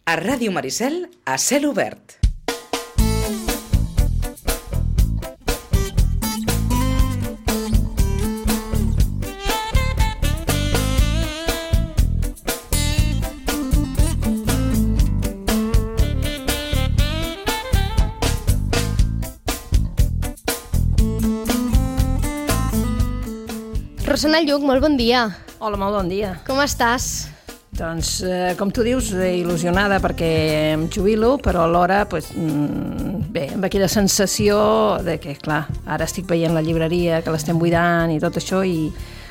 A Ràdio Maricel, a cel obert. Rosana Lluc, molt bon dia. Hola, molt bon dia. Com estàs? Doncs, com tu dius, il·lusionada perquè em jubilo, però alhora, bé, amb aquella sensació de que, clar, ara estic veient la llibreria, que l'estem buidant i tot això, i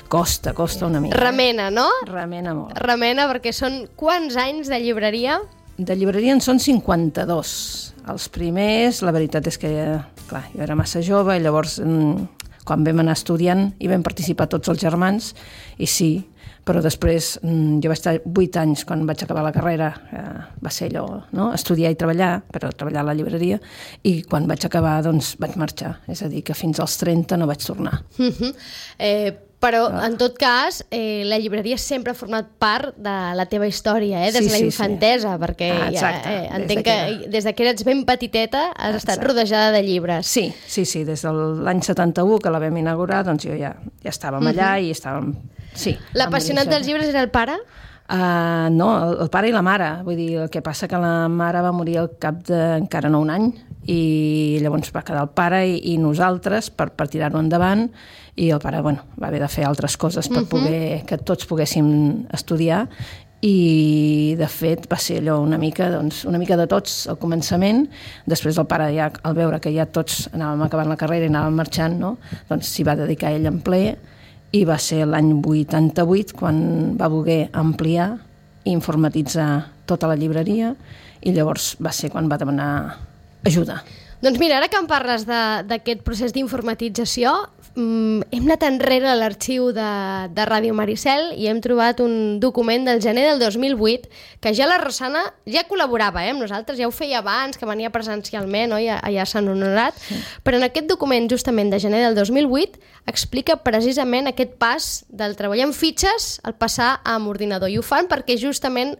costa una mica. Remena, no? Remena molt. Remena, perquè són quants anys de llibreria? De llibreria en són 52. Els primers, la veritat és que, clar, jo era massa jove i llavors, quan vam anar estudiant, hi vam participar tots els germans, i sí, però després jo vaig estar 8 anys quan vaig acabar la carrera, va ser allò, no? Estudiar i treballar, però treballar a la llibreria, i quan vaig acabar doncs vaig marxar, és a dir, que fins als 30 no vaig tornar. Però, en tot cas, la llibreria sempre ha format part de la teva història, des de la infantesa, perquè entenc que des que eres ben petiteta has estat rodejada de llibres. Sí, des de l'any 71 que la vam inaugurar, doncs jo ja estàvem allà i estàvem... Sí, l'apassionat dels llibres era el pare? No, el pare i la mare. Vull dir, el que passa que la mare va morir al cap d'encara no un any, i llavors va quedar el pare i nosaltres per tirar-ho endavant, i el pare, va haver de fer altres coses per poder que tots poguéssim estudiar, i de fet va ser allò una mica de tots al començament. Després el pare, ja al veure que ja tots anàvem acabant la carrera i anàvem marxant, no? Doncs s'hi va dedicar ell en ple, i va ser l'any 88 quan va voler ampliar i informatitzar tota la llibreria, i llavors va ser quan va demanar ajuda. Doncs mira, ara que em parles d'aquest procés d'informatització, hem anat enrere a l'arxiu de Ràdio Maricel i hem trobat un document del gener del 2008 que ja la Rosana ja col·laborava amb nosaltres, ja ho feia abans, que venia presencialment, oi? Allà a Sant Honorat, però en aquest document justament de gener del 2008 explica precisament aquest pas del treball en fitxes al passar amb ordinador, i ho fan perquè justament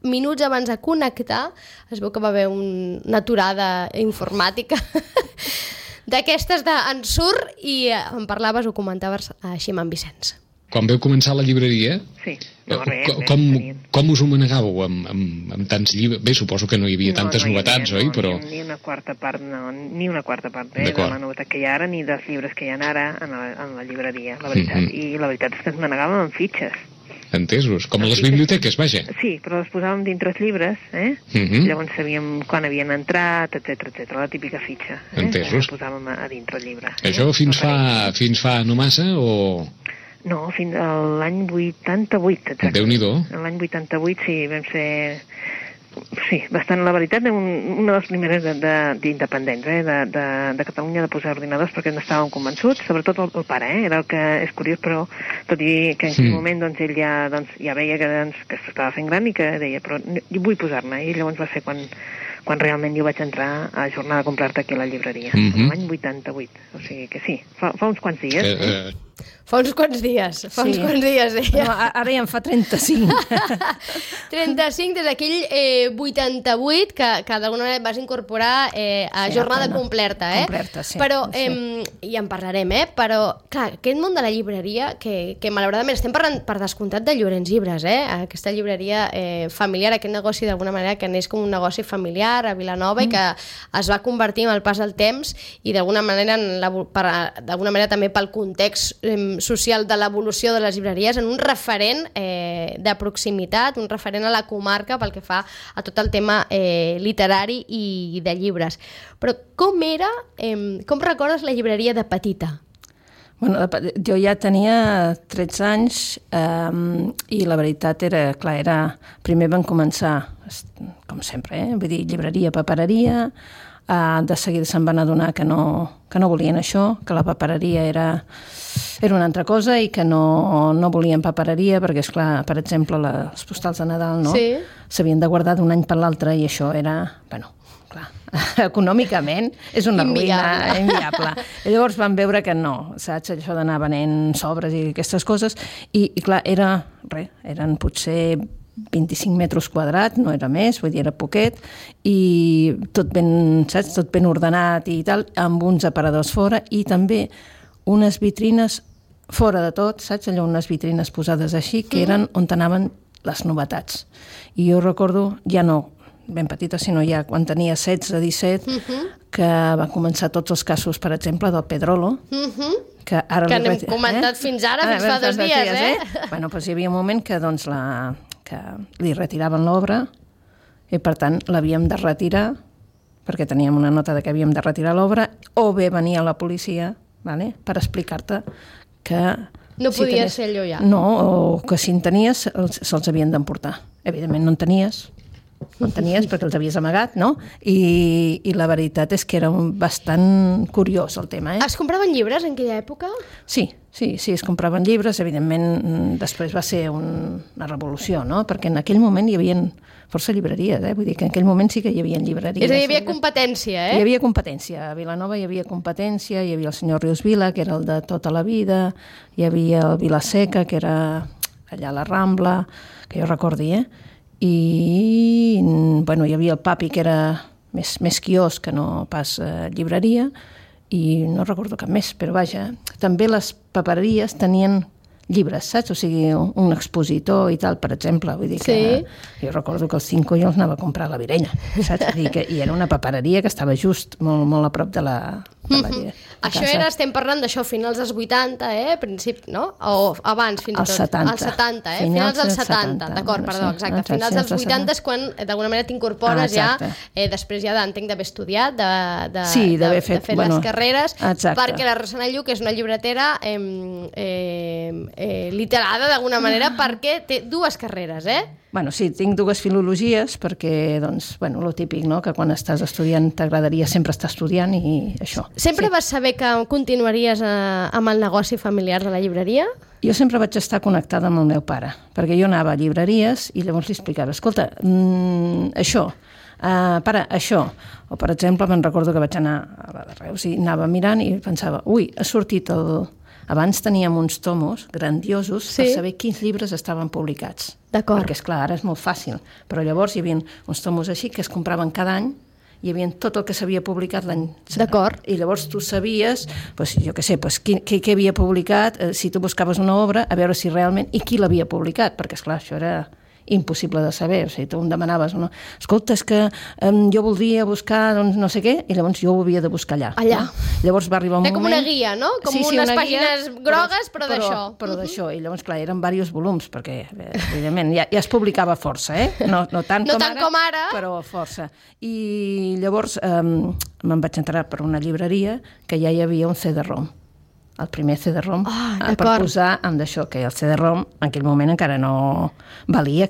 minuts abans de connectar es veu que va haver una aturada informàtica d'aquestes d'ensurt, i em parlaves, ho comentaves així amb en Vicenç. Quan vau començar la llibreria, sí, com us ho manegàveu amb tants llibres? Bé, suposo que no hi havia tantes novetats, oi? Però... Ni una quarta part de la novetat que hi ha ara, ni dels llibres que hi ha ara en la llibreria, la veritat. I la veritat és que ens manegàvem amb fitxes. Entesos, com a les biblioteques, vaja. Sí, però les posàvem dintre els llibres, Llavors sabíem quan havien entrat, etc, la típica fitxa. Entesos. La posàvem a dintre el llibre. Això fins fa no massa, o...? No, fins a l'any 88, exacte. Déu-n'hi-do. L'any 88, sí, vam ser... Sí, bastant, la veritat, una de les primeres d'independents de Catalunya de posar ordinadors, perquè no estàvem convençuts, sobretot el pare, era el que és curiós, però tot i que en aquell moment doncs, ell ja veia que s'estava fent gran i que deia, però jo vull posar-me, i llavors va ser quan realment jo vaig entrar a ajornar de comprar-te aquí a la llibreria, l'any 88, o sigui que sí, fa uns quants dies. Fa uns quants dies, deia. No, ara ja en fa 35. 35 des d'aquell 88 que d'alguna manera vas incorporar a jornada completa, Completa, sí. Però, i en parlarem, però, clar, aquest món de la llibreria, que malauradament estem parlant per descomptat de Llorenç Llibres, aquesta llibreria familiar, aquest negoci d'alguna manera que neix com un negoci familiar a Vilanova i que es va convertir amb el pas del temps i d'alguna manera també pel context social de l'evolució de les llibreries en un referent de proximitat, un referent a la comarca pel que fa a tot el tema literari i de llibres. Però com recordes la llibreria de petita? Bueno, jo ja tenia 13 anys i la veritat era... Primer vam començar, com sempre, vull dir, llibreria, papereria. De seguida se'n van adonar que no volien això, que la papereria era una altra cosa i que no volien papereria perquè, esclar, per exemple, les postals de Nadal s'havien de guardar d'un any per l'altre i això era, clar, econòmicament és una ruïna inviable. I llavors van veure que no, saps, això d'anar venent sobres i aquestes coses, i clar, eren potser 25 metres quadrats, no era més, vull dir, era poquet, i tot ben, saps, tot ben ordenat i tal, amb uns aparadors fora, i també unes vitrines fora de tot, saps, allò, unes vitrines posades així, que eren on anaven les novetats. I jo recordo, ja no ben petita, sinó ja quan tenia 16-17, que van començar tots els casos, per exemple, del Pedrolo, que ara que n'hem comentat fins ara, fins fa 2 dies, Bueno, doncs hi havia un moment que, doncs, que li retiraven l'obra i, per tant, l'havíem de retirar perquè teníem una nota de que havíem de retirar l'obra, o bé venia la policia, vale, per explicar-te que... No podia ser allò ja. No, o que si en tenies se'ls havien d'emportar. Evidentment no en tenies perquè els havies amagat, no? I la veritat és que era bastant curiós el tema, Es compraven llibres en aquella època? Sí, es compraven llibres. Evidentment, després va ser una revolució, no? Perquè en aquell moment hi havia força llibreries, Vull dir que en aquell moment sí que hi havia llibreries. És a dir, hi havia competència, Hi havia competència. A Vilanova hi havia competència, hi havia el senyor Rius Vila, que era el de tota la vida, hi havia el Vilaseca, que era allà a la Rambla, que jo recordi, I, bueno, hi havia el Papi, que era més quiosc que no pas llibreria, i no recordo cap més, però vaja, també les papereries tenien llibres, saps? O sigui, un expositor i tal, per exemple. Vull dir que jo recordo que els 5 jo els anava a comprar a la Virella, saps? Vull dir que hi era una papereria que estava just molt a prop de la Això era, estem parlant d'això, finals dels 80, principi, no? O abans, fins i tot. Als 70. Als 70, finals dels 70, d'acord, perdó, exacte. Finals dels 80 és quan, d'alguna manera, t'incorpores ja, després ja entenc d'haver estudiat, de fer les carreres, perquè la Rossana Lluc és una llibretera literada, d'alguna manera, perquè té 2 carreres, Bueno, sí, tinc 2 filologies perquè, doncs, bueno, lo típic, no?, que quan estàs estudiant t'agradaria sempre estar estudiant i això. Sempre vas saber que continuaries amb el negoci familiar de la llibreria? Jo sempre vaig estar connectada amb el meu pare, perquè jo anava a llibreries i llavors li explicava, escolta, això, pare, això. O, per exemple, me'n recordo que vaig anar a la de Reus i anava mirant i pensava, ui, ha sortit el... Abans teníem uns tomos grandiosos per saber quins llibres estaven publicats. D'acord. Perquè, esclar, ara és molt fàcil. Però llavors hi havia uns tomos així que es compraven cada any, hi havia tot el que s'havia publicat l'any. D'acord. I llavors tu sabies, doncs, jo què sé, doncs, què havia publicat, si tu buscaves una obra, a veure si realment... I qui l'havia publicat, perquè, esclar, això era impossible de saber. O sigui, tu em demanaves, no? Escolta, és que jo voldria buscar doncs, no sé què, i llavors jo ho havia de buscar allà. Allà. No? Llavors va arribar un moment... com una guia, no? Com unes pàgines grogues, però d'això. Però d'això. I llavors, clar, eren diversos volums, perquè, evidentment, ja es publicava força, No tant com ara, però força. I llavors me'n vaig entrar per una llibreria que ja hi havia un CD-ROM. El primer CD-ROM, per posar amb d'això, que el CD-ROM en aquell moment encara no valia.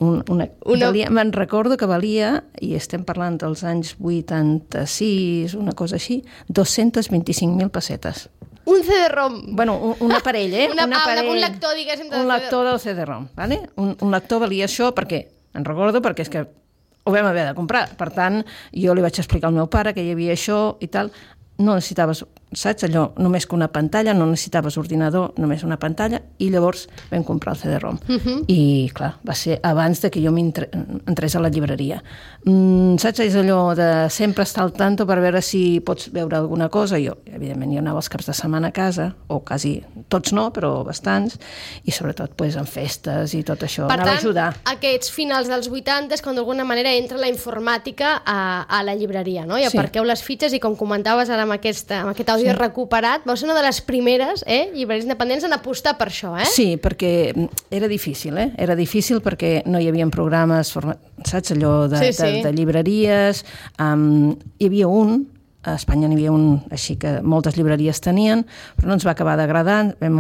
Me'n recordo que valia, i estem parlant dels anys 86, una cosa així, 225.000 pessetes. Un CD-ROM? Bueno, un aparell, un lector, diguéssim. Un lector del CD-ROM, ¿vale? Un lector valia això perquè, en recordo, perquè és que ho vam haver de comprar. Per tant, jo li vaig explicar al meu pare que hi havia això i tal. No necessitaves, saps, allò, només que una pantalla, no necessitaves ordinador, només una pantalla, i llavors vam comprar el CD-ROM. I, clar, va ser abans de que jo entrés a la llibreria. Saps, és allò de sempre estar al tanto per veure si pots veure alguna cosa. Jo, evidentment, jo anava els caps de setmana a casa, o quasi tots no, però bastants, i sobretot en festes i tot això, anava a ajudar. Per tant, aquests finals dels 80 és quan d'alguna manera entra la informàtica a la llibreria, no? I aparqueu les fitxes, i com comentaves ara amb aquest àudio recuperat, va ser una de les primeres llibreries independents en apostar per això, Sí, perquè era difícil, Era difícil perquè no hi havia programes, saps, allò de llibreries. Hi havia a Espanya n'hi havia un, així que moltes llibreries tenien, però no ens va acabar d'agradar, vam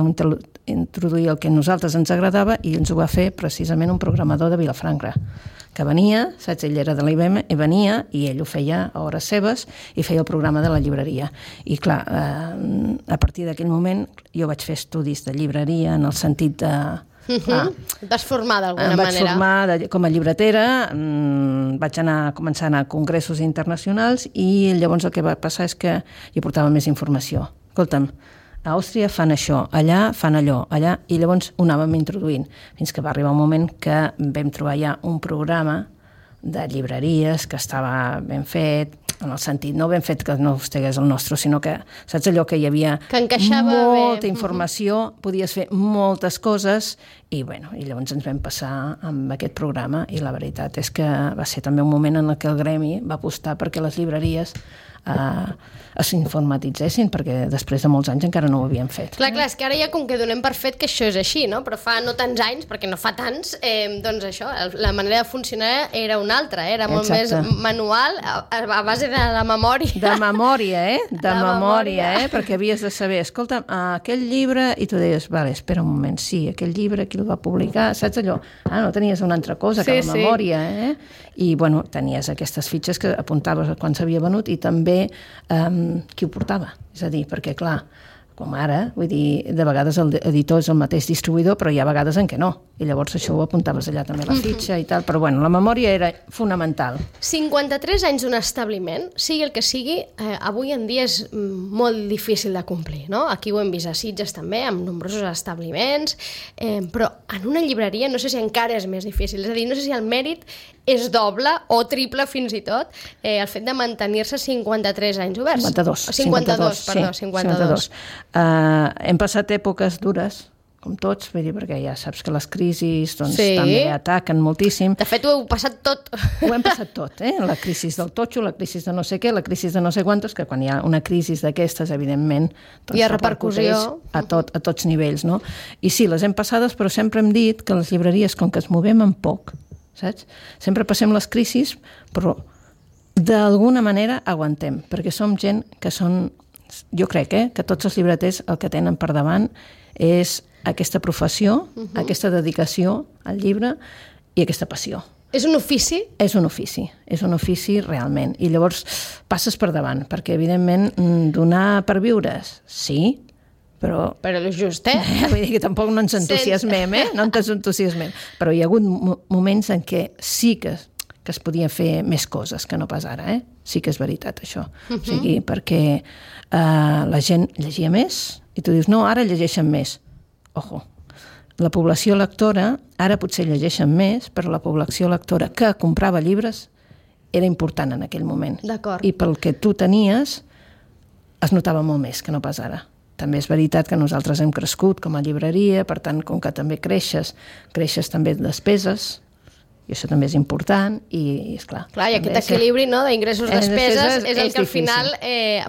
introduir el que a nosaltres ens agradava i ens ho va fer precisament un programador de Vilafranca, que venia, saps, ell era de l'IBM, i venia, i ell ho feia a hores seves, i feia el programa de la llibreria. I clar, a partir d'aquell moment jo vaig fer estudis de llibreria en el sentit de... Et vas formar d'alguna manera. Em vaig formar com a llibretera, vaig començar a anar a congressos internacionals, i llavors el que va passar és que hi portava més informació. Escolta'm, a Àustria fan això, allà fan allò, allà, i llavors ho anàvem introduint, fins que va arribar un moment que vam trobar ja un programa de llibreries que estava ben fet, en el sentit, no ben fet que no estigués el nostre, sinó que, saps allò que hi havia que encaixava molta bé. informació, podies fer moltes coses, i bueno, i llavors ens vam passar amb aquest programa, i la veritat és que va ser també un moment en què el gremi va apostar perquè les llibreries s'informatitzessin, perquè després de molts anys encara no ho havien fet. Clar, és que ara ja com que donem per fet que això és així, no? Però fa no tants anys, perquè no fa tants, doncs això, la manera de funcionar era una altra, era molt més manual, a base de la memòria. De memòria, De memòria, perquè havies de saber, escolta, aquell llibre, i tu deies, vale, espera un moment, sí, aquell llibre, qui el va publicar, saps allò? No tenies una altra cosa que la memòria, I, bueno, tenies aquestes fitxes que apuntaves quan s'havia venut i també qui ho portava. És a dir, perquè, clar, com ara, vull dir, de vegades l'editor és el mateix distribuïdor, però hi ha vegades en què no. I llavors això ho apuntaves allà també a la fitxa i tal, però bueno, la memòria era fonamental. 53 anys d'un establiment, sigui el que sigui, avui en dia és molt difícil de complir, no? Aquí ho hem vist a Sitges també, amb nombrosos establiments, però en una llibreria no sé si encara és més difícil, és a dir, no sé si el mèrit és doble o triple fins i tot el fet de mantenir-se 53 anys oberts. 52. Hem passat èpoques dures, com tots, vull dir, perquè ja saps que les crisis també ataquen moltíssim. De fet, ho heu passat tot. Ho hem passat tot, La crisi del totxo, la crisi de no sé què, la crisi de no sé quantos, que quan hi ha una crisi d'aquestes, evidentment, hi ha repercussió a tots nivells, no? I sí, les hem passades, però sempre hem dit que les llibreries, com que es movem en poc, saps? Sempre passem les crisis, però d'alguna manera aguantem, perquè som gent que són... Jo crec que tots els llibreters el que tenen per davant és aquesta professió, aquesta dedicació al llibre i aquesta passió. És un ofici? És un ofici realment. I llavors passes per davant, perquè evidentment donar per viures, sí, però... Però és just, Vull dir que tampoc no ens entusiasmem, No ens entusiasmem. Però hi ha hagut moments en què sí que es podia fer més coses que no pas ara, Sí que és veritat, això. O sigui, perquè la gent llegia més i tu dius, no, ara llegeixen més. Ojo, la població lectora, ara potser llegeixen més, però la població lectora que comprava llibres era important en aquell moment. D'acord. I pel que tu tenies es notava molt més que no pas ara. També és veritat que nosaltres hem crescut com a llibreria, per tant, com que també creixes també despeses, i això també és important, i esclar... Clar, i aquest equilibri d'ingressos-despeses és el que al final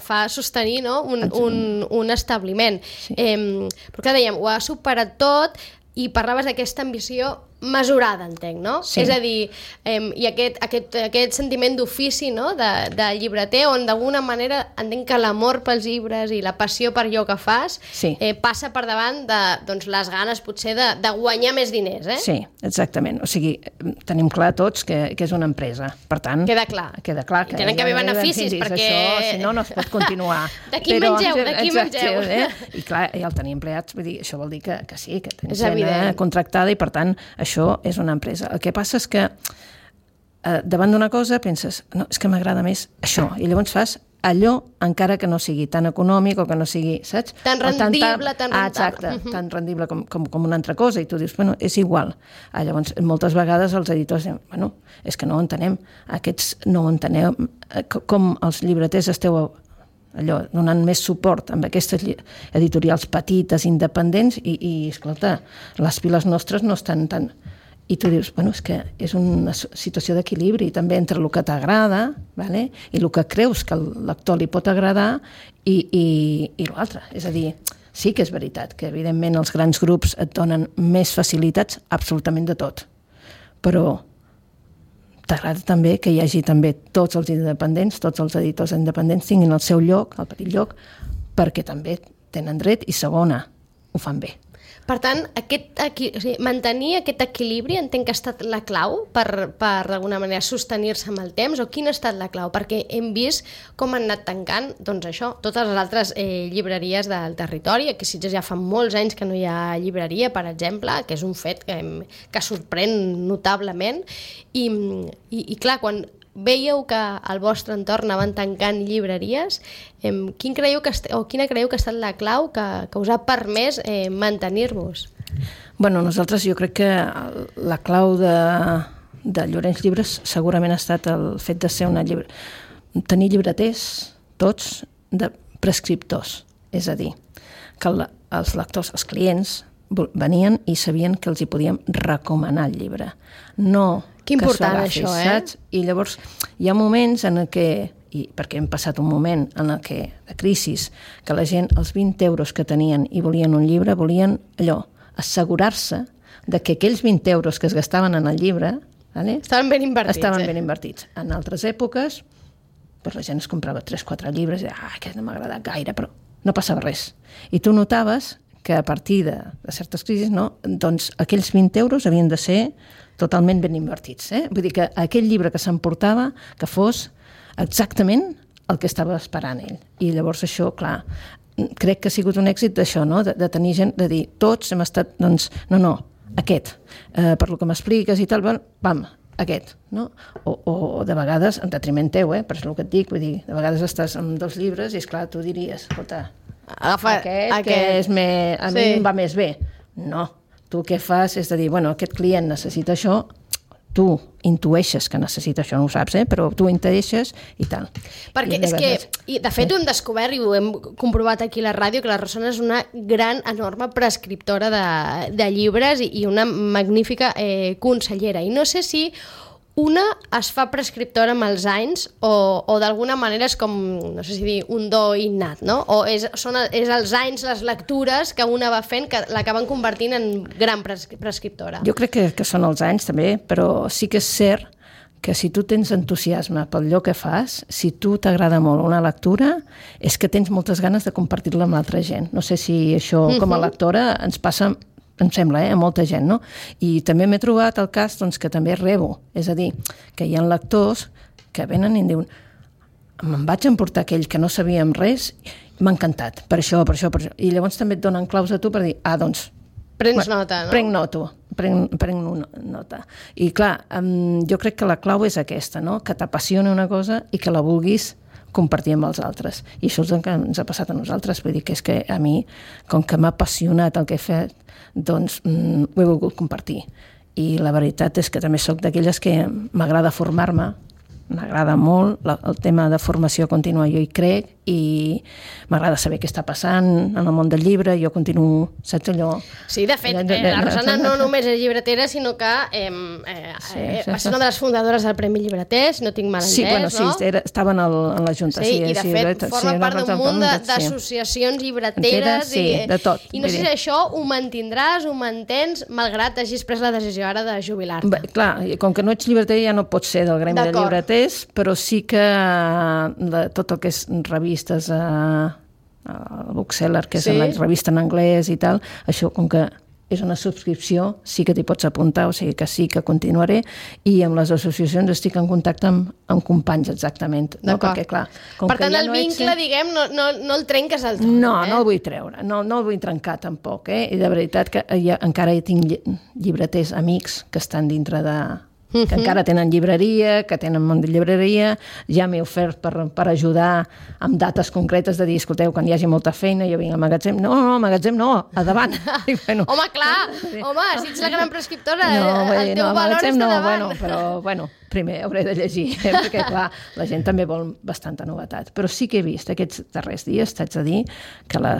fa sostenir un establiment. Sí. Però clar, dèiem, ho ha superat tot i parlaves d'aquesta ambició mesurada, entenc, no? Sí. És a dir, i aquest sentiment d'ofici, no?, de llibreter, on d'alguna manera entenc que l'amor pels llibres i la passió per allò que fas passa per davant de les ganes, potser, de guanyar més diners, Sí, exactament. O sigui, tenim clar tots que és una empresa. Per tant... Queda clar. Queda clar que... I tenen que haver beneficis, perquè... Això, si no, no es pot continuar. D'aquí mengeu. I clar, i el tenir empleats, vull dir, això vol dir que sí, que tens gent contractada i, per tant, això és una empresa. El que passa és que davant d'una cosa penses, no, és que m'agrada més això, i llavors fas allò encara que no sigui tan econòmic o que no sigui, saps? Tan rendible, tan rentable. Exacte, tan rendible com una altra cosa, i tu dius, bueno, és igual. Llavors, moltes vegades els editors diuen, bueno, és que no ho entenem, aquests no ho enteneu, com els llibreters esteu allò, donant més suport amb aquestes editorials petites, independents, i escolta, les piles nostres no estan tan... I tu dius, bueno, és que és una situació d'equilibri també entre el que t'agrada, vale? I el que creus que al lector li pot agradar i l'altre. És a dir, sí que és veritat que evidentment els grans grups et donen més facilitats absolutament de tot, però t'agrada també que hi hagi també tots els independents, tots els editors independents tinguin el seu lloc, el petit lloc, perquè també tenen dret i segona, ho fan bé. Per tant, mantenir aquest equilibri entenc que ha estat la clau per d'alguna manera sostenir-se amb el temps, o quina ha estat la clau? Perquè hem vist com han anat tancant, doncs això, totes les altres llibreries del territori. Aquí a Sitges ja fa molts anys que no hi ha llibreria, per exemple, que és un fet que sorprèn notablement. I clar, quan veieu que al vostre entorn anaven tancant llibreries. Quina creieu que ha estat la clau que us ha permès mantenir-vos? Bueno, nosaltres jo crec que la clau de Llorenç Llibres segurament ha estat el fet de ser tenir llibreters, tots, de prescriptors. És a dir, que els lectors, els clients, venien i sabien que els hi podíem recomanar el llibre. No que important això, saps? I llavors hi ha moments en què, perquè hem passat un moment en què, de crisi, que la gent, els 20 euros que tenien i volien un llibre, volien allò, assegurar-se de que aquells 20 euros que es gastaven en el llibre estaven ben invertits. Ben invertits. En altres èpoques, doncs la gent es comprava 3-4 llibres i aquest no m'ha agradat gaire, però no passava res. I tu notaves que a partir de certes crisis, doncs aquells 20 euros havien de ser totalment ben invertits. Vull dir que aquell llibre que s'emportava que fos exactament el que estava esperant ell. I llavors això, clar, crec que ha sigut un èxit d'això, de tenir gent, de dir, tots hem estat, doncs, no, aquest, per lo que m'expliques i tal, vam, aquest, no? O de vegades, en detriment teu, per això el que et dic, vull dir, de vegades estàs amb 2 llibres i, esclar, tu diries, escolta, aquest que és a mi em va més bé. No, tu què fas és de dir, bueno, aquest client necessita això, tu intueixes que necessita això, no ho saps, però tu intueixes i tal. Perquè és que, de fet, ho hem descobert i ho hem comprovat aquí a la ràdio, que la Rosana és una gran, enorme prescriptora de llibres i una magnífica consellera. I no sé si una es fa prescriptora amb els anys o d'alguna manera és com, no sé si dir, un do innat, no? O és els anys, les lectures que una va fent que l'acaben convertint en gran prescriptora. Jo crec que són els anys també, però sí que és cert que si tu tens entusiasme pel lloc que fas, si tu t'agrada molt una lectura, és que tens moltes ganes de compartir-la amb l'altra gent. No sé si això com a lectora ens passa, em sembla, a molta gent, no? I també m'he trobat el cas doncs, que també rebo, és a dir, que hi ha lectors que venen i em diuen me'n vaig emportar aquell que no sabíem res, m'ha encantat, per això. I llavors també et donen claus a tu per dir, doncs... Prens nota, no? Prenc nota. I clar, jo crec que la clau és aquesta, no? Que t'apassioni una cosa i que la vulguis compartir amb els altres. I això és el que ens ha passat a nosaltres. Vull dir que és que a mi, com que m'ha apassionat el que he fet, doncs ho he volgut compartir. I la veritat és que també soc d'aquelles que m'agrada formar-me, m'agrada molt el tema de formació contínua, jo hi crec, i m'agrada saber què està passant en el món del llibre, jo continuo, saps allò? Sí, de fet, la Rosana no només és llibretera, sinó que va ser una de les fundadores del Premi Llibreter, si no tinc mal entès, no? Sí, estava en la Junta. Sí, i de fet forma part d'un munt d'associacions llibreteres. Sí, de tot. I no sé si això ho mantindràs, ho mantens, malgrat hagis pres la decisió ara de jubilar-te. Clar, com que no ets llibreter ja no pots ser del gremi de llibreters, però sí que tot el que és revistes a Bookseller, que és la revista en anglès i tal, això com que és una subscripció, sí que t'hi pots apuntar, o sigui que sí que continuaré, i amb les associacions estic en contacte amb companys exactament. No? Perquè, clar, per tant, el vincle, diguem, no el trenques al tot. No el vull treure, no el vull trencar tampoc, i de veritat que encara hi tinc llibreters amics que estan dintre de... que encara tenen llibreria, que tenen món de llibreria, ja m'he ofert per ajudar amb dates concretes de dir, escolteu, quan hi hagi molta feina, jo vinc al magatzem. No, magatzem no, a davant. Home, clar, si ets la gran prescriptora, el teu valor està davant. Però, primer hauré de llegir, perquè, clar, la gent també vol bastanta novetat. Però sí que he vist aquests darrers dies, t'haig de dir, que la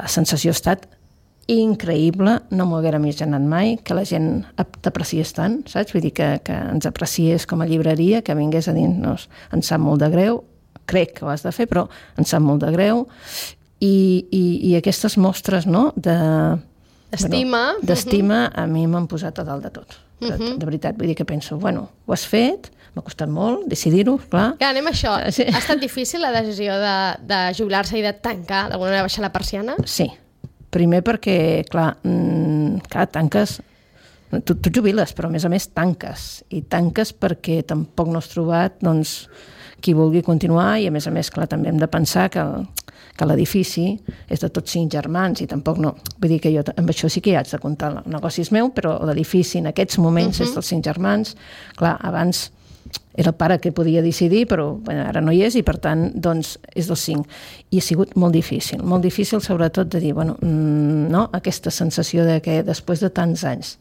sensació ha estat increïble, no m'ho haguera imaginat mai, que la gent t'apreciés tant, saps? Vull dir que ens apreciés com a llibreria, que vingués a dir-nos, ens sap molt de greu, crec que ho has de fer, però ens sap molt de greu, i aquestes mostres, no?, d'estima a mi m'han posat a dalt de tot. De veritat, vull dir que penso, ho has fet, m'ha costat molt decidir-ho, clar. Ja, anem a això. Sí. Ha estat difícil la decisió de jubilar-se i de tancar, d'alguna manera baixar la persiana? Sí. Primer perquè, clar, tanques, tu jubiles, però a més tanques, i tanques perquè tampoc no has trobat qui vulgui continuar, i a més, clar, també hem de pensar que l'edifici és de tots 5 germans, i tampoc no... Vull dir que jo amb això sí que ja haig de comptar, el negoci és meu, però l'edifici en aquests moments és dels 5 germans. Clar, abans era el pare que podia decidir, però ara no hi és i per tant doncs, és dels 5. I ha sigut molt difícil sobretot de dir, no? Aquesta sensació de que després de tants anys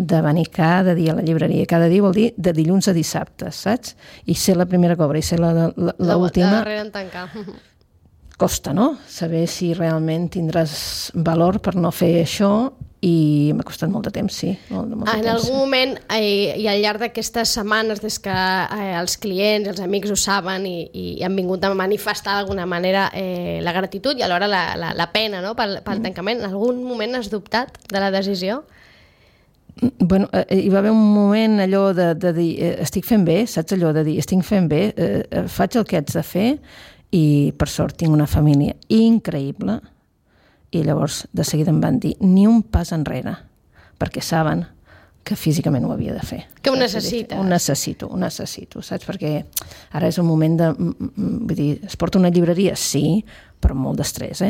de venir cada dia a la llibreria, cada dia vol dir de dilluns a dissabte, saps? I ser la primera que obre i ser l'última... La darrera en tancar. Costa, no? Saber si realment tindràs valor per no fer això i m'ha costat molt de temps, sí. En algun moment, i al llarg d'aquestes setmanes, des que els clients, els amics ho saben i han vingut a manifestar d'alguna manera la gratitud i alhora la pena, no?, pel tancament, en algun moment has dubtat de la decisió? Bueno, hi va haver un moment allò de dir, estic fent bé, saps allò de dir, estic fent bé, faig el que haig de fer i per sort tinc una família increïble. I llavors de seguida em van dir ni un pas enrere, perquè saben que físicament ho havia de fer. Que ho necessites. Ho necessito, saps? Perquè ara és un moment de... Vull dir, es porta una llibreria? Sí, però molt d'estrès,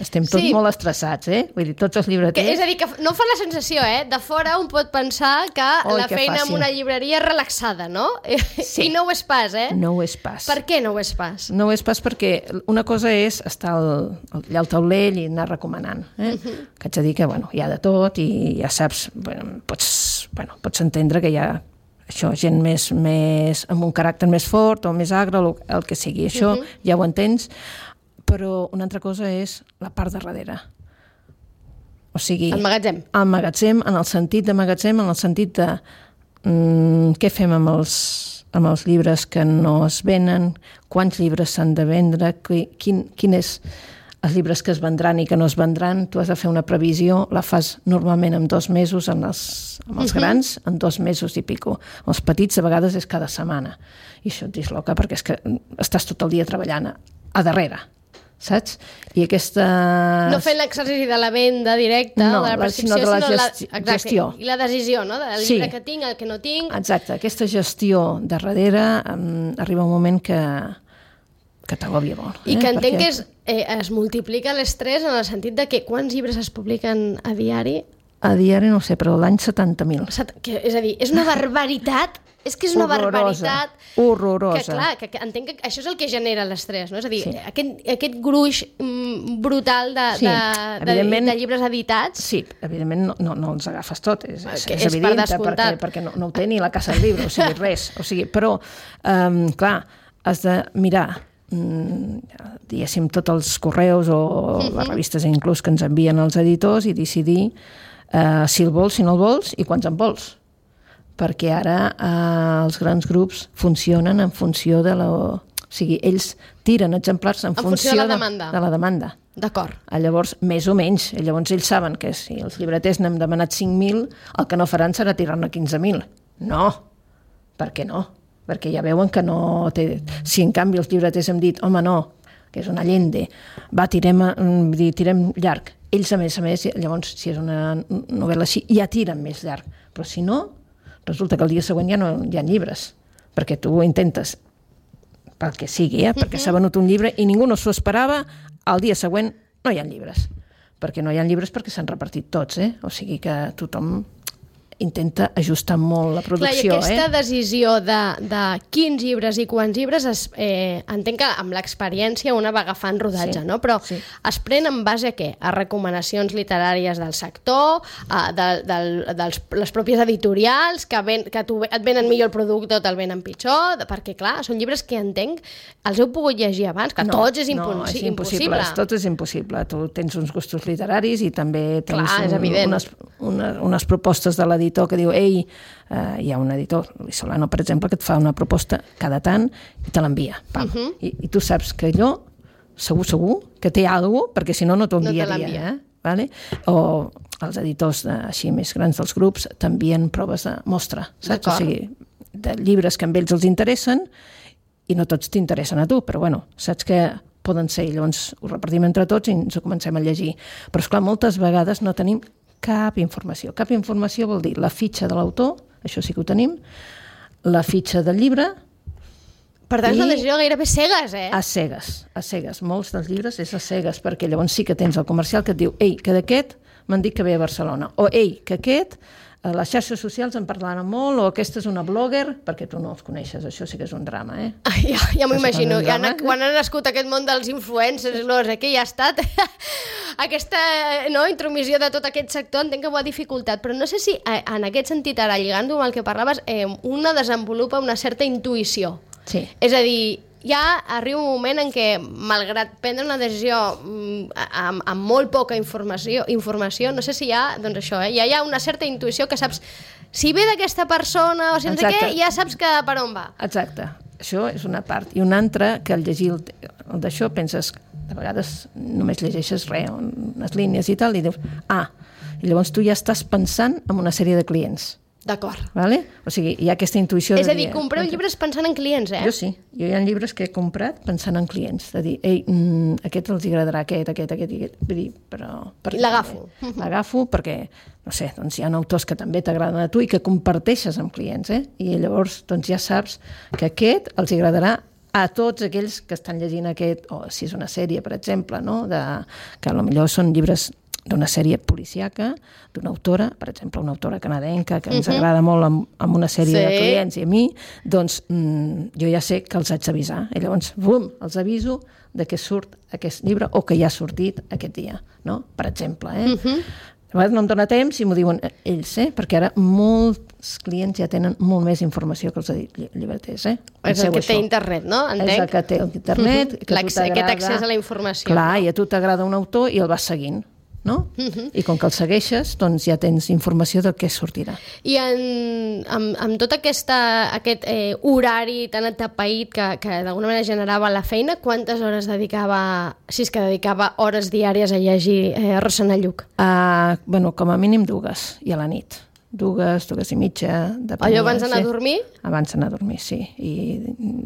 Estem tots molt estressats, Vull dir, tots els llibreters... És a dir, que no fa la sensació, De fora un pot pensar que la feina en una llibreria és relaxada, no? Sí. I no ho és pas, No ho és pas. Per què no ho és pas? No ho és pas perquè una cosa és estar allà al taulell i anar recomanant, Que haig de dir que, hi ha de tot i ja saps, pots entendre que hi ha això, gent més amb un caràcter més fort o més agre, el que sigui, això ja ho entens, però una altra cosa és la part de darrere. O sigui... El magatzem. El magatzem, en el sentit de magatzem, en el sentit de què fem amb els llibres que no es venen, quants llibres s'han de vendre, quin és els llibres que es vendran i que no es vendran. Tu has de fer una previsió, la fas normalment en 2 mesos, amb els grans, en 2 mesos i pico. Els petits, a vegades, és cada setmana. I això et disloca perquè és que estàs tot el dia treballant a darrere, saps? I aquesta... No fent l'exercici de la venda directa, no, o de la prescripció, sinó de la gestió. I la decisió, no? Del llibre que tinc, el que no tinc... Exacte, aquesta gestió de darrere arriba un moment que t'agòbia molt. I que entenc que es multiplica l'estrès en el sentit de que quants llibres es publiquen a diari? A diari no sé, però l'any 70.000. És a dir, és una barbaritat. És que és una barbaritat... Horrorosa. Que clar, que entenc que això és el que genera l'estrès, no? És a dir, aquest gruix brutal de llibres editats... Sí, evidentment no els agafes tot, és evident, perquè no ho té ni la Casa del Llibre, o sigui, res. O sigui, però, clar, has de mirar, diguéssim, tots els correus o les revistes inclús que ens envien els editors i decidir si el vols, si no el vols i quants en vols. Perquè ara els grans grups funcionen en funció de la... O sigui, ells tiren exemplars en funció de la demanda. D'acord. Llavors, més o menys. Llavors, ells saben que si els llibreters n'hem demanat 5.000, el que no faran serà tirar-ne 15.000. No. Per què no? Perquè ja veuen que no té... Si en canvi els llibreters hem dit, home, no, que és una Allende, va, tirem llarg. Ells, a més, llavors, si és una novel·la així, ja tiren més llarg. Però si no, resulta que el dia següent ja no hi ha llibres, perquè tu intentes, pel que sigui, perquè s'ha venut un llibre i ningú no s'ho esperava, el dia següent no hi ha llibres. Perquè no hi ha llibres perquè s'han repartit tots, o sigui que tothom intenta ajustar molt la producció. Clar, i aquesta decisió de quins llibres i quants llibres entenc que amb l'experiència una va agafant rodatge, no? Però es pren en base a què? A recomanacions literàries del sector, les pròpies editorials, que et venen millor el producte o te'l venen pitjor, perquè clar, són llibres que entenc els heu pogut llegir abans, que tots és impossible. Tot és impossible. Tu tens uns gustos literaris i també tens unes propostes de l'editor que diu, hi ha un editor, Solano, per exemple, que et fa una proposta cada tant i te l'envia. I tu saps que allò, segur, que té alguna cosa, perquè si no t'ho enviaria. Vale? O els editors així més grans dels grups t'envien proves de mostra, saps? O sigui, de llibres que amb ells els interessen i no tots t'interessen a tu, però bueno, saps que poden ser, i llavors ho repartim entre tots i ens ho comencem a llegir. Però esclar, moltes vegades no tenim cap informació. Cap informació vol dir la fitxa de l'autor, això sí que ho tenim, la fitxa del llibre... Per tant, és una decisió gairebé cegues, A cegues. Molts dels llibres és a cegues, perquè llavors sí que tens el comercial que et diu, que d'aquest m'han dit que ve a Barcelona. O, ei, que aquest, a les xarxes socials en parlaven molt, o aquesta és una blogger, perquè tu no els coneixes, això sí que és un drama, eh? Ja m'ho imagino. Quan ha nascut aquest món dels influencers, no sé què, ja ha estat aquesta intromissió de tot aquest sector, entenc que ho ha dificultat, però no sé si en aquest sentit, ara lligant-ho amb el que parlaves, una desenvolupa una certa intuïció. Sí. És a dir, ja arriba un moment en què, malgrat prendre una decisió amb molt poca informació, no sé si hi ha, doncs això, ja hi ha una certa intuïció que saps si ve d'aquesta persona o si no sé què, ja saps que per on va. Exacte. Això és una part. I una altra, que al llegir el d'això penses, de vegades només llegeixes res, unes línies i tal, i dius, i llavors tu ja estàs pensant en una sèrie de clients. D'acord. Vale? O sigui, hi ha aquesta intuïció és a dir, compreu llibres pensant en clients, eh? Jo sí. Jo hi ha llibres que he comprat pensant en clients. De dir, ei, aquest els agradarà, aquest. Vull dir, però... L'agafo. L'agafo perquè, no sé, doncs hi ha autors que també t'agraden a tu i que comparteixes amb clients, I llavors doncs ja saps que aquest els agradarà a tots aquells que estan llegint aquest, o si és una sèrie, per exemple, no? Que potser són llibres d'una sèrie policíaca, d'una autora, per exemple, una autora canadenca que ens agrada molt amb una sèrie de clients i a mi, doncs jo ja sé que els haig d'avisar. I llavors, bum, els aviso de que surt aquest llibre o que ja ha sortit aquest dia, no? Per exemple, A vegades no em dóna temps i m'ho diuen ells, perquè ara molts clients ja tenen molt més informació que els llibreters, És el que té internet, no? Entenc. És el que té internet. Aquest accés a la informació. Clar, i a tu t'agrada un autor i el vas seguint, no? I com que el segueixes, doncs ja tens informació del que sortirà. I amb tot aquest horari tan atapeït que d'alguna manera generava la feina, quantes hores dedicava, si és que dedicava hores diàries a llegir Rossana Lluch? Com a mínim 2, i a la nit. 2 i mitja. Allò abans d'anar a dormir? Abans d'anar a dormir, sí. I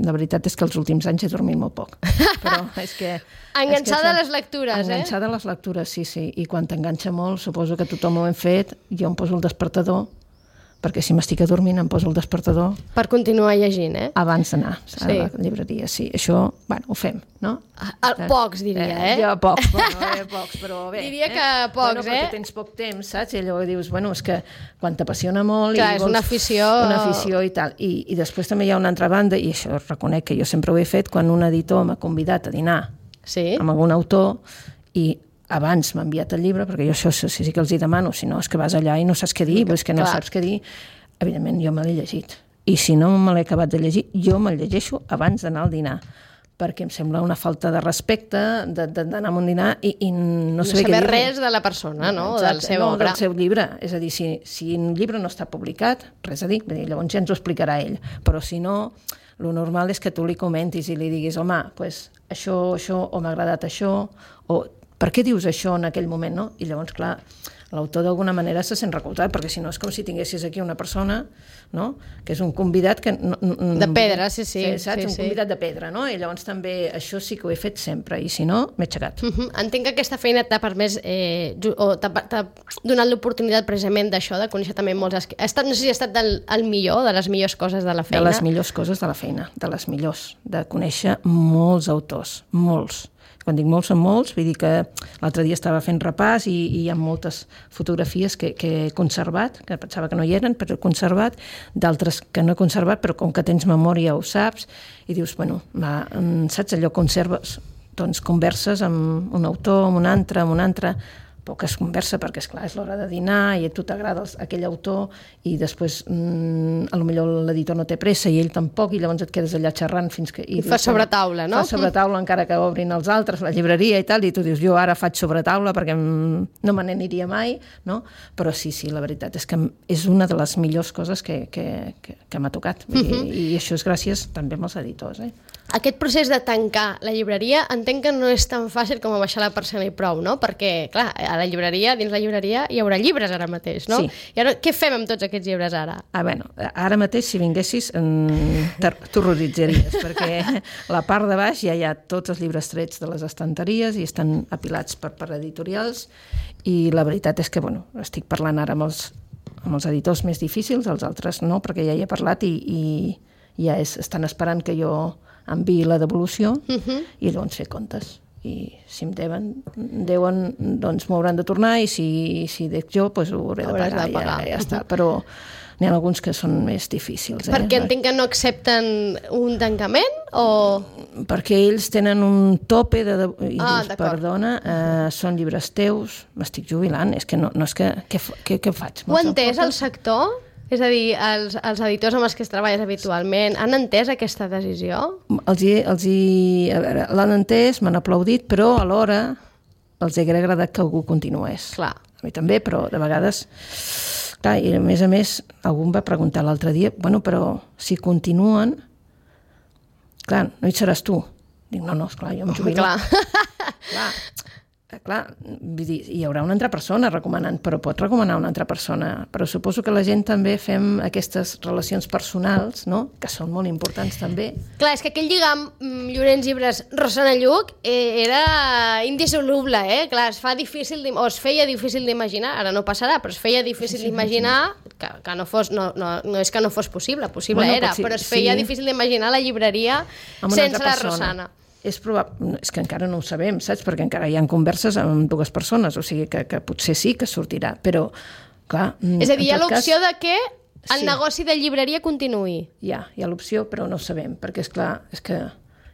la veritat és que els últims anys he dormit molt poc. Però és que... Enganxada a les lectures, Enganxada a les lectures, sí. I quan t'enganxa molt, suposo que tothom ho hem fet, jo em poso el despertador, perquè si m'estic adormint em poso el despertador. Per continuar llegint, Abans d'anar a la llibreria, sí. Això, ho fem, no? Pocs, diria, Jo pocs, però bé. Diria que pocs, perquè tens poc temps, saps? I llavors dius, és que quan t'apassiona molt... Clar, és una afició... Una afició i tal. I després també hi ha una altra banda, i això reconec que jo sempre ho he fet, quan un editor m'ha convidat a dinar amb algun autor i abans m'ha enviat el llibre, perquè jo això sí que els hi demano, si no és que vas allà i no saps què dir, és que no saps què dir, evidentment jo me l'he llegit. I si no me l'he acabat de llegir, jo me'l llegeixo abans d'anar al dinar, perquè em sembla una falta de respecte d'anar a un dinar i no saber res de la persona, no? Exacte, del seu obra. Del seu llibre. És a dir, si un llibre no està publicat, res a dir, llavors ja ens ho explicarà ell. Però si no, el normal és que tu li comentis i li diguis, home, això, o m'ha agradat això, o per què dius això en aquell moment, no? I llavors, clar, l'autor d'alguna manera se sent recolzat, perquè si no és com si tinguessis aquí una persona, no?, que és un convidat que... De pedra, sí. Saps? Un convidat de pedra, no? I llavors també això sí que ho he fet sempre, i si no, m'he aixecat. Entenc que aquesta feina t'ha permès, o t'ha donat l'oportunitat precisament d'això, de conèixer també molts... No sé si ha estat el millor, de les millors coses de la feina. De les millors coses de la feina, de les millors, de conèixer molts autors, molts. Quan dic molts, són molts, vull dir que l'altre dia estava fent repàs i hi ha moltes fotografies que he conservat, que pensava que no hi eren, però he conservat, d'altres que no he conservat, però com que tens memòria ho saps, i dius, saps allò, conserves, doncs converses amb un autor, amb un altre, poques conversa, perquè esclar, és l'hora de dinar i a tu t'agrada aquell autor i després potser l'editor no té pressa i ell tampoc i llavors et quedes allà xerrant fins que... I fas sobretaula, no? Fas sobretaula encara que obrin els altres, la llibreria i tal, i tu dius, jo ara faig sobretaula perquè no me n'aniria mai, no? Però sí, la veritat és que és una de les millors coses que m'ha tocat. I això és gràcies també als editors, Aquest procés de tancar la llibreria entenc que no és tan fàcil com baixar la persiana i prou, no? Perquè, clar, dins la llibreria hi haurà llibres ara mateix, no? Sí. I ara, què fem amb tots aquests llibres ara? Ara mateix, si vinguessis, t'horroritzaries, perquè la part de baix ja hi ha tots els llibres trets de les estanteries i estan apilats per editorials i la veritat és que, estic parlant ara amb els editors més difícils, els altres no, perquè ja hi he parlat i ja estan esperant que jo enviï la devolució i llavors fer comptes. i si em deuen, doncs m'ho hauran de tornar, i si dec jo, doncs ho hauré de pagar. Ja està, però n'hi ha alguns que són més difícils. Perquè entenc que no accepten un tancament, o...? Perquè ells tenen un tope i dius, perdona, són llibres teus, m'estic jubilant, és que no és que... Què faig? Ho ha entès el sector? És a dir, els editors amb els que es treballes habitualment han entès aquesta decisió? L'han entès, m'han aplaudit, però alhora els hauria agradat que algú continués. Clar. A mi també, però de vegades... Clar, i a més, algú em va preguntar l'altre dia, bueno, però si continuen, clar, no hi seràs tu. Dic, no, esclar, jo em jubilo. Clar, vull dir, hi haurà una altra persona recomanant, però pot recomanar una altra persona. Però suposo que la gent també fem aquestes relacions personals, no?, que són molt importants també. Clar, és que aquell lligam Llorenç Llibres Rosana Lluc era indissoluble, Clar, es feia difícil d'imaginar, ara no passarà, però es feia difícil d'imaginar que no fos, no és que no fos possible era, però es feia difícil d'imaginar la llibreria sense la Rosana. És que encara no ho sabem, saps? Perquè encara hi ha converses amb dues persones, o sigui que potser sí que sortirà, però clar... És a dir, hi ha l'opció de que el negoci de llibreria continuï. Hi ha l'opció, però no ho sabem, perquè és que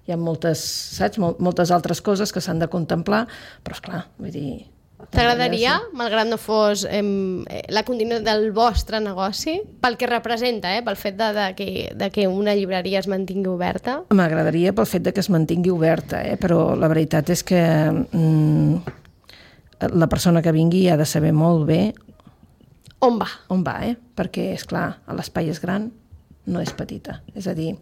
hi ha moltes, saps? Moltes altres coses que s'han de contemplar, però esclar, vull dir... T'agradaria, malgrat no fos la continuïtat del vostre negoci, pel que representa, pel fet de que una llibreria es mantingui oberta? M'agradaria pel fet de que es mantingui oberta, però la veritat és que la persona que vingui ha de saber molt bé on va, perquè, esclar, l'espai és gran, no és petita. És a dir,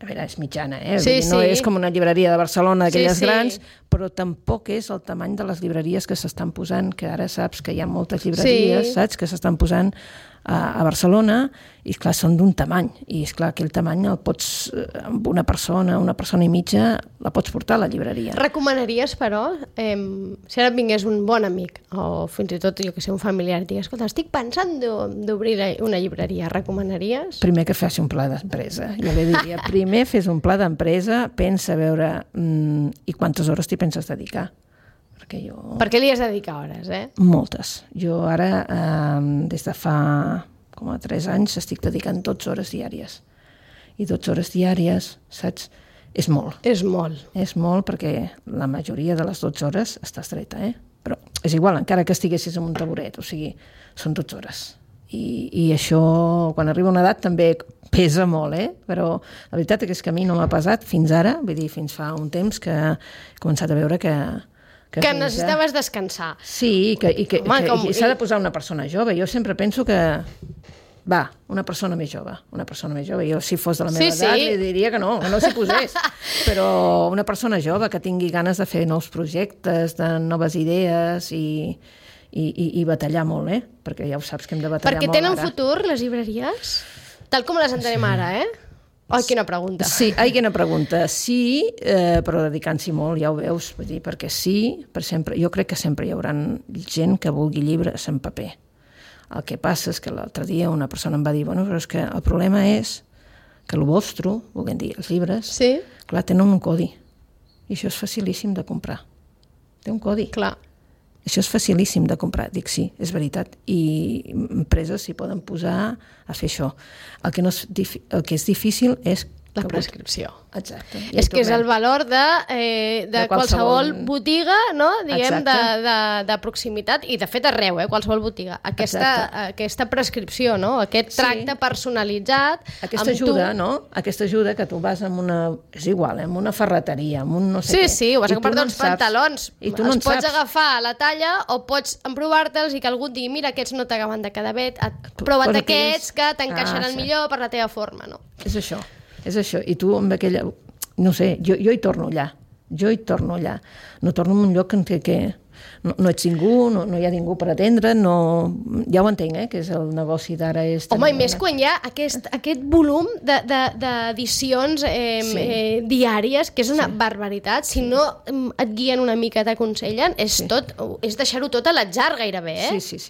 a veure, és mitjana, no és com una llibreria de Barcelona, d'aquelles grans, però tampoc és el tamany de les llibreries que s'estan posant, que ara saps que hi ha moltes llibreries, saps, que s'estan posant a Barcelona, i esclar, són d'un tamany, i esclar, aquell tamany el pots, amb una persona i mitja, la pots portar a la llibreria. Recomanaries, però, si ara vingués un bon amic, o fins i tot, jo que sé, un familiar, digues, escolta, estic pensant d'obrir una llibreria, recomanaries? Primer que faci un pla d'empresa. Jo li diria, primer fes un pla d'empresa, pensa a veure i quantes hores t'hi penses dedicar. Per què li has de dedicar hores, Moltes. Jo ara, des de fa com a 3 anys, estic dedicant 12 hores diàries. I 12 hores diàries, saps? És molt. És molt. És molt perquè la majoria de les 12 hores estàs dreta, Però és igual, encara que estiguessis en un taburet, o sigui, són 12 hores. I això, quan arriba una edat, també pesa molt, Però la veritat és que a mi no m'ha pesat fins ara, vull dir, fins fa un temps que he començat a veure que necessitaves descansar. Sí, i s'ha de posar una persona jove. Jo sempre penso que una persona més jove. Jo, si fos de la meva edat, li diria que no s'hi posés. Però una persona jove que tingui ganes de fer nous projectes, de noves idees i batallar molt, perquè ja ho saps que hem de batallar molt ara. Perquè tenen futur, les llibreries? Tal com les entenem ara, Ai, quina pregunta. Sí, quina pregunta. Sí, però dedicant-s'hi molt, ja ho veus, vull dir, perquè per sempre, jo crec que sempre hi haurà gent que vulgui llibres en paper. El que passa és que l'altre dia una persona em va dir, bueno, però és que el problema és que el vostre, volguem dir, els llibres, clar, tenen un codi. I això és facilíssim de comprar. Té un codi. Clar. Això és facilíssim de comprar. Dic, sí, és veritat. I empreses s'hi poden posar a fer això. El que és difícil és la prescripció. Exacte. És que és el valor de qualsevol botiga, no? Diguem, de proximitat, i de fet arreu, qualsevol botiga. Aquesta prescripció, no? Aquest tracte personalitzat. Aquesta ajuda, no? Aquesta ajuda que tu vas amb una... És igual, amb una ferreteria, amb un no sé què. Sí, vas a comprar-te uns pantalons. Els pots agafar a la talla o pots emprovar-te'ls i que algú et digui, mira, aquests no t'acaben de quedar bé, prova't aquests que t'encaixaran millor per la teva forma, no? És això. I tu amb aquella... No sé, jo hi torno allà. No torno en un lloc en què no ets ningú, no hi ha ningú per atendre, ja ho entenc, que és el negoci d'ara. Home, i més quan hi ha aquest volum d'edicions diàries, que és una barbaritat. Si no et guien una mica, t'aconsellen, és deixar-ho tot a l'atzar gairebé,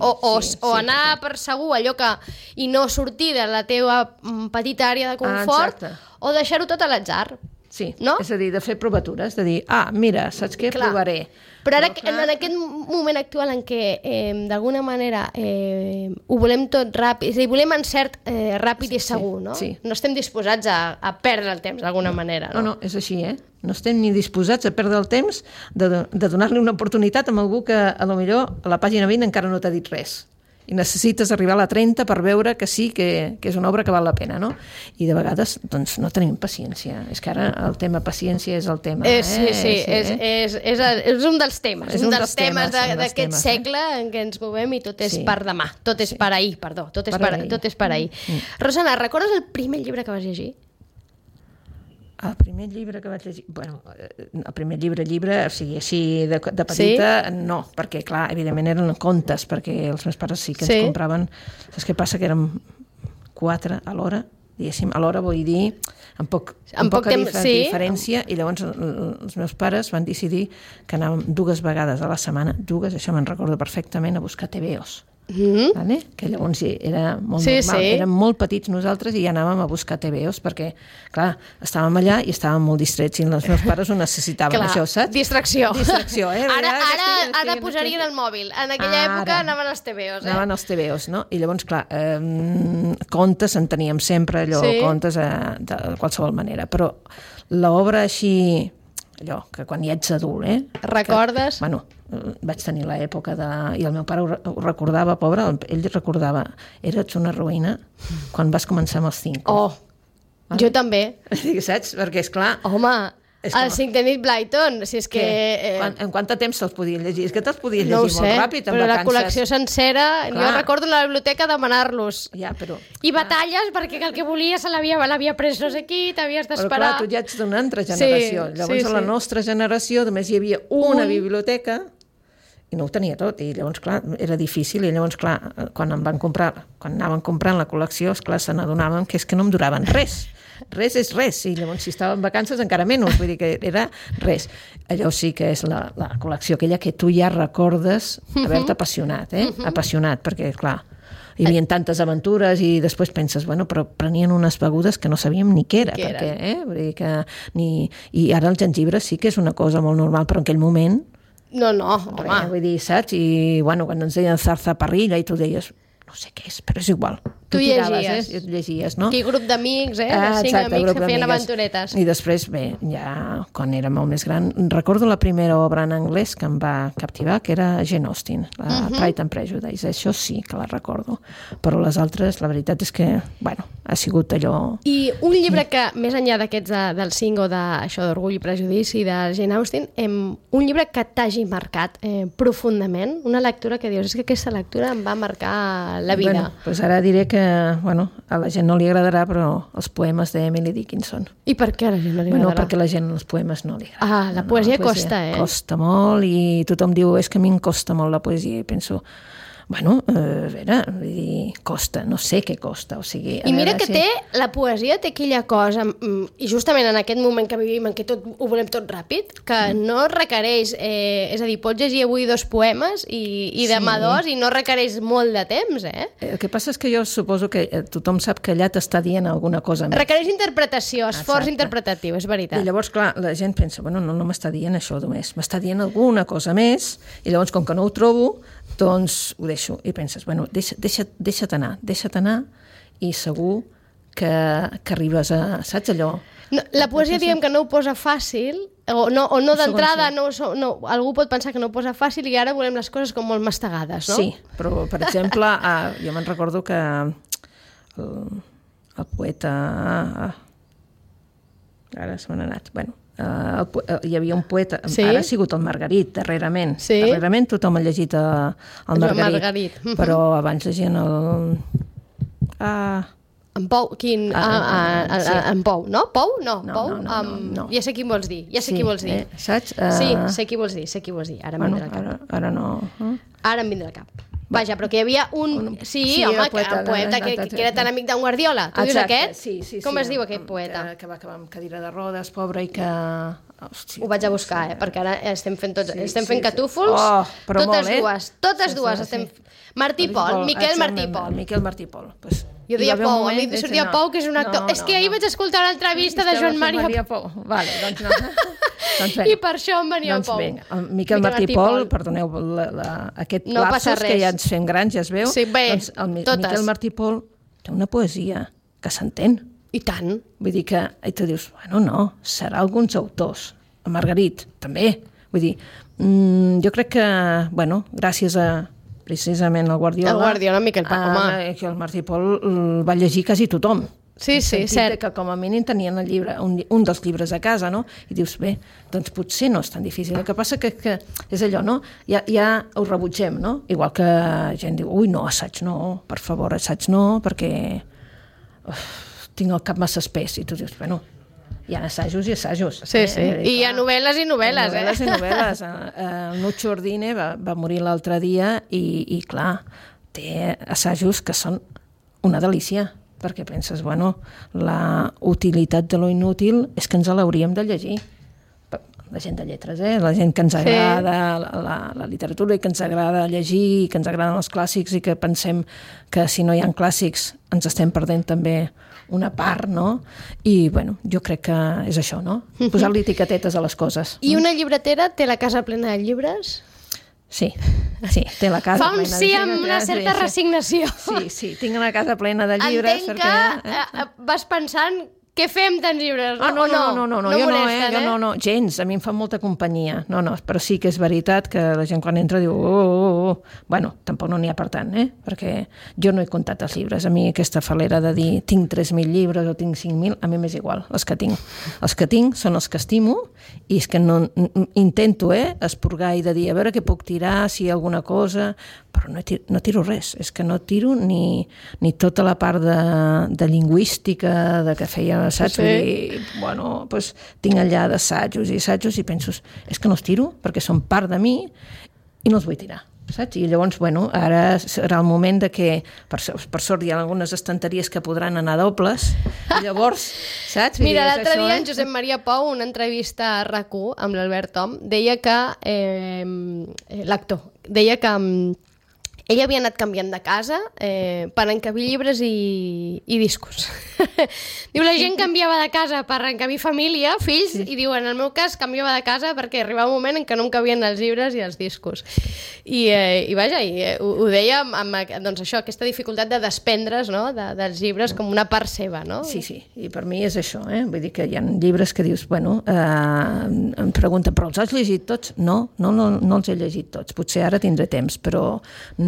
o anar per segur allò que... i no sortir de la teva petita àrea de confort, o deixar-ho tot a l'atzar. Sí, no? És a dir, de fer provatures, de dir, mira, saps què? Clar. Provaré. Però ara, en aquest moment actual en què, d'alguna manera, ho volem tot ràpid, és a dir, volem encert ràpid i segur, no? Sí. No estem disposats a perdre el temps d'alguna manera, no? No, és així, No estem ni disposats a perdre el temps de donar-li una oportunitat a algú que, a lo millor, a la pàgina 20 encara no t'ha dit res. I necessites arribar a la 30 per veure que sí, que és una obra que val la pena, no? I de vegades, doncs, no tenim paciència. És que ara el tema paciència és el tema. Sí, és un dels temes. És un dels temes d'aquest segle en què ens movem i tot és per demà. Tot és per ahir, perdó. Tot és per ahir. Rosana, recordes el primer llibre que vas llegir? El primer llibre que vaig llegir... Bueno, el primer llibre, o sigui, així de petita, no, perquè, clar, evidentment eren contes, perquè els meus pares sí que ens compraven... Saps què passa? Que érem 4 a l'hora, diguéssim, a l'hora vull dir, amb poca diferència, i llavors els meus pares van decidir que anàvem 2 vegades a la setmana, això me'n recordo perfectament, a buscar TVOs. Vale? Que llavors era molt normal. Érem molt petits nosaltres i ja anàvem a buscar TVOs perquè, clar, estàvem allà i estàvem molt distrets i els meus pares ho necessitaven, això, saps? Distracció. Ara posarien el mòbil. En aquella època anaven als TVOs. Anaven als TVOs, no? I llavors, clar, contes en teníem sempre, contes de qualsevol manera, però l'obra així... allò, que quan ja ets adult, Recordes? Vaig tenir l'època de... I el meu pare ho recordava, pobre, ell recordava, eres una ruïna quan vas començar amb els 5. Jo també. Saps? Perquè, esclar... Home, el 5 de Nick Blyton, si és que... En quant de temps te'ls podies llegir? És que te'ls podies llegir molt ràpid, en però vacances. la col·lecció sencera, jo recordo a la biblioteca demanar-los. Ja, però... I batalles, perquè el que volia se l'havia pres no sé qui, t'havies d'esperar. Però clar, tu ja ets d'una altra generació. Llavors, a la nostra generació només hi havia una biblioteca i no ho tenia tot, i llavors, clar, era difícil, i llavors, clar, quan anaven comprant la col·lecció, esclar, se n'adonaven que és que no em duraven res. Res és res, i llavors si estava en vacances encara menys, vull dir que era res. Allò sí que és la col·lecció aquella que tu ja recordes haver-te apassionat, apassionat, perquè, clar, hi havia tantes aventures i després penses, bueno, però prenien unes begudes que no sabíem ni què era, perquè, vull dir que i ara el jengibre sí que és una cosa molt normal, però en aquell moment no, home. Vull dir, saps? I, bueno, quan ens deien zarzaparrilla i tu deies, no sé què és, però és igual. Tu llegies. Tu llegies, no? Aquell grup d'amics, 5 amics que feien aventuretes. I després, bé, ja quan era molt més gran, recordo la primera obra en anglès que em va captivar, que era Jane Austen, la Pride and Prejudice. Això sí que la recordo. Però les altres, la veritat és que, bueno, ha sigut allò... I un llibre que, més enllà d'aquests del 5 o d'això d'Orgull i Prejudici de Jane Austen, un llibre que t'hagi marcat profundament, una lectura que dius, és que aquesta lectura em va marcar la vida. Bueno, doncs ara diré que, bueno, a la gent no li agradarà, però els poemes d'Emily Dickinson. I per què a la gent no li agradarà? Bueno, perquè la gent els poemes no li agrada. La poesia costa, Costa molt, i tothom diu, és que a mi em costa molt la poesia, i penso... Bueno, a veure, vull dir, costa, no sé què costa, o sigui... I mira que la poesia té aquella cosa, i justament en aquest moment que vivim, en què ho volem tot ràpid, que no requereix, és a dir, pots llegir avui 2 poemes i demà 2 i no requereix molt de temps, El que passa és que jo suposo que tothom sap que allà t'està dient alguna cosa més. Requereix interpretació, esforç interpretatiu, és veritat. I llavors, clar, la gent pensa, bueno, no m'està dient això només, m'està dient alguna cosa més, i llavors, com que no ho trobo, doncs ho deixo. I penses, bueno, deixa't anar, i segur que arribes a... Saps allò? No, la poesia, diguem que no ho posa fàcil, o no d'entrada, algú pot pensar que no ho posa fàcil i ara volem les coses com molt mastegades, no? Sí, però, per exemple, jo me'n recordo que el poeta... Ara se m'ha anat, bueno... hi havia un poeta, ara ha sigut el Margarit, darrerament. Darrerament tothom ha llegit el Margarit. Però abans llegien el... En Pou, quin... En Pou, no? Pou? No, Pou? No. Ja sé qui vols dir, qui vols dir. Saps? Sí, sé qui vols dir, ara em vindrà al cap. Ara no... Ara em vindrà al cap. Vaja, però que hi havia un poeta que era tan amic d'en Guardiola. Tu dius aquest? Sí. Com es diu aquest poeta? Que va acabar amb cadira de rodes, pobre, i que... Ho vaig a buscar, perquè ara estem fent catúfols. Totes dues. Martí Pol, Miquel Martí Pol. Miquel Martí Pol. Jo deia Pou, a mi em sortia Pou, que és un actor. És que ahir vaig escoltar una entrevista de Joan Maria Pou. Vale, doncs no. I per això em venia Pou. Doncs el Miquel Martí Pol, perdoneu, aquest lapsus que ja ens fem grans, ja es veu. Sí, bé, doncs el Miquel Martí Pol té una poesia que s'entén. I tant. Vull dir que, i tu dius, bueno, no, serà alguns autors. El Margarit, també. Vull dir, jo crec que, bueno, gràcies a precisament el Guardiola... El Guardiola, Miquel Pol, home. Que el Martí Pol el va llegir quasi tothom. Sí, cert. Que com a mínim tenien el llibre, un dels llibres a casa, no? I dius, bé, doncs potser no és tan difícil. El que passa que és allò, no? Ja ho rebutgem, no? Igual que gent diu, ui, no, assaig no, per favor, assaig no, perquè tinc el cap massa espès. I tu dius, bueno, hi ha assajos i assajos. Sí. I hi ha novel·les i novel·les, i novel·les. El Nuccio Ordine va morir l'altre dia i clar, té assajos que són una delícia, perquè penses, bueno, la utilitat de lo inútil és que ens l'hauríem de llegir. La gent de lletres, la gent que ens agrada la literatura i que ens agrada llegir i que ens agraden els clàssics i que pensem que si no hi ha clàssics ens estem perdent també una part, no? I, bueno, jo crec que és això, no? Posar-li etiquetetes a les coses. I una llibretera té la casa plena de llibres? Sí, té la casa plena de llibres. Fa un sí amb una certa resignació. Sí, tinc una casa plena de llibres. Entenc que vas pensant... Què fem tants llibres? No, jo no, gens, a mi em fa molta companyia. No, però sí que és veritat que la gent quan entra diu Bueno, tampoc no n'hi ha per tant, perquè jo no he comptat els llibres. A mi aquesta falera de dir tinc 3.000 llibres o tinc 5.000, a mi m'és igual, els que tinc. Els que tinc són els que estimo i és que no intento esporgar i de dir a veure què puc tirar, si hi ha alguna cosa, però no tiro res, és que no tiro ni tota la part de lingüística, de que feia assaig, bueno, doncs tinc allà d'assajos i penso, és que no els tiro perquè són part de mi i no els vull tirar, saps? I llavors, bueno, ara serà el moment de que, per sort hi ha algunes estanteries que podran anar dobles, i llavors, saps? Mira, l'altre dia en Josep Maria Pou, una entrevista a RAC1 amb l'Albert Tom, deia que l'actor, deia que ell havia anat canviant de casa per encabir llibres i discos. Diu, la gent canviava de casa per encabir família, fills, i diu, en el meu cas canviava de casa perquè arribava un moment en què no em cabien els llibres i els discos. I vaja, ho deia amb doncs això, aquesta dificultat de desprendre's, no?, dels llibres com una part seva, no? Sí, i per mi és això, vull dir que hi ha llibres que dius, bueno, em pregunten, però els has llegit tots? No els he llegit tots, potser ara tindré temps, però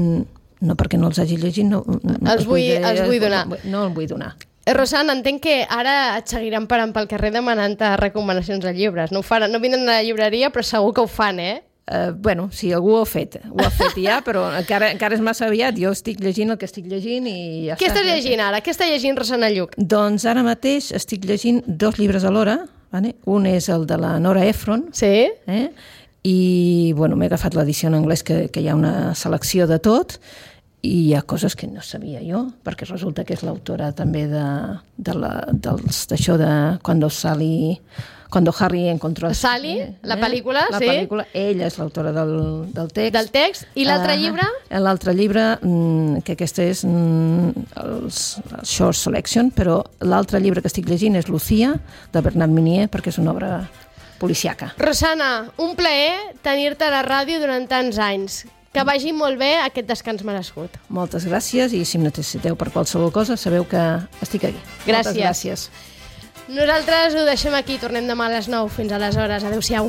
no perquè no els hagi llegit, no els vull donar. No els vull donar. Rosana, entenc que ara et seguiran parant pel carrer demanant-te recomanacions de llibres. No vindran a la llibreria, però segur que ho fan, Bueno, sí, algú ho ha fet ja, però encara és massa aviat. Jo estic llegint el que estic llegint i ja està. Què estàs llegint ara? Què està llegint Rosana Lluc? Doncs ara mateix estic llegint 2 llibres alhora. Un és el de la Nora Ephron. Sí. I, bueno, m'he agafat l'edició en anglès que hi ha una selecció de tot i hi ha coses que no sabia jo, perquè resulta que és l'autora també d'això de Cuando Harry encontró a Sally, la pel·lícula, la pel·lícula, ella és l'autora del text. Del text. I l'altre llibre? L'altre llibre, que aquest és el Short Selection, però l'altre llibre que estic llegint és Lucía, de Bernard Minier, perquè és una obra policiaca. Rosana, un plaer tenir-te a la ràdio durant tants anys. Que vagi molt bé aquest descans merescut. Moltes gràcies i si em necessiteu per qualsevol cosa sabeu que estic aquí. Gràcies. Moltes gràcies. Nosaltres ho deixem aquí, tornem demà a les 9. Fins aleshores, adeu-siau.